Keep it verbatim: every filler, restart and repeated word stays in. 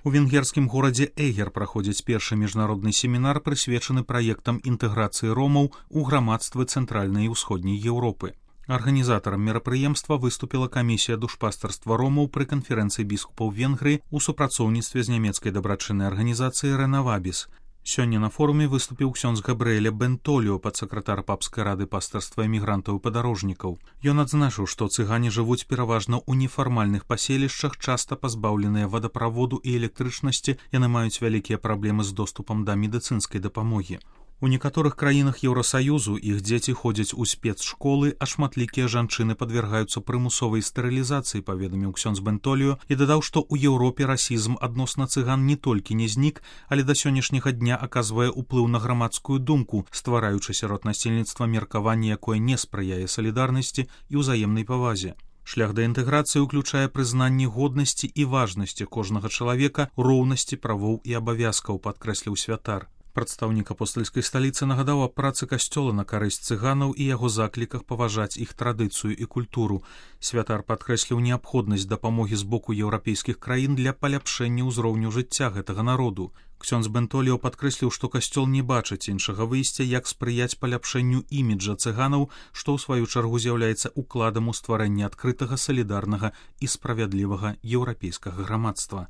У венгерскім горадзе Эгер праходзіць першы міжнародны семінар, прысвечаны праектам інтэграцыі ромаў у грамадствы цэнтральнай і ўсходняй Еўропы. Арганізатарам мерапрыемства выступіла камісія душпастарства ромаў пры канферэнцыі біскупаў Венгрыі ў супрацоўніцтве з нямецкай дабрачыннай арганізацыяй Рэнавабіс. Сёння на форуме выступіў ксёндз Габрыэля Бентоліо, падсакратар папскай рады пастырства эмігрантаў і падарожнікаў. Ён адзначыў, што цыгане жывуць пераважна ў нефармальных паселішчах, часта пазбаўленыя вадаправоду і электрычнасці, яны маюць вялікія праблемы з доступам да медыцынскай дапамогі. У некаторых краінах Еўрасаюзу іх дзеці ходзяць у спецшколы, а шматлікія жанчыны падвяргаюцца прымусовай стэрылізацыі, паведаміў ксёндз Бентоліо і дадаў, што ў Еўропе расізм адносна цыган не толькі не знік, але да сённяшняга дня аказвае ўплыў на грамадскую думку, ствараючы сярод насельніцтва меркаванне, якое не спрыяе салідарнасці і ўзаемнай павазе. Шлях да інтэграцыі ўключае прызнанне годнасці і важнасці кожнага чалавека, роўнасці правоў і абавязкаў, падкрэсліў святар. Прадстаўнік апостальскай сталіцы нагадаў аб працы касцёла на карысць цыганаў і яго закліках паважаць іх традыцыю і культуру. Святар падкрэсліў неабходнасць дапамогі з боку еўрапейскіх краін для паляпшэння ўзроўню жыцця гэтага народу. Ксёндз Бентоліо падкрэсліў, што касцёл не бачыць іншага выйсця, як спрыяць паляпшэнню іміджа цыганаў, што ў сваю чаргу з'яўляецца укладам у стварэнне адкрытага, салідарнага і справядлівага еўрапейскага грамадства.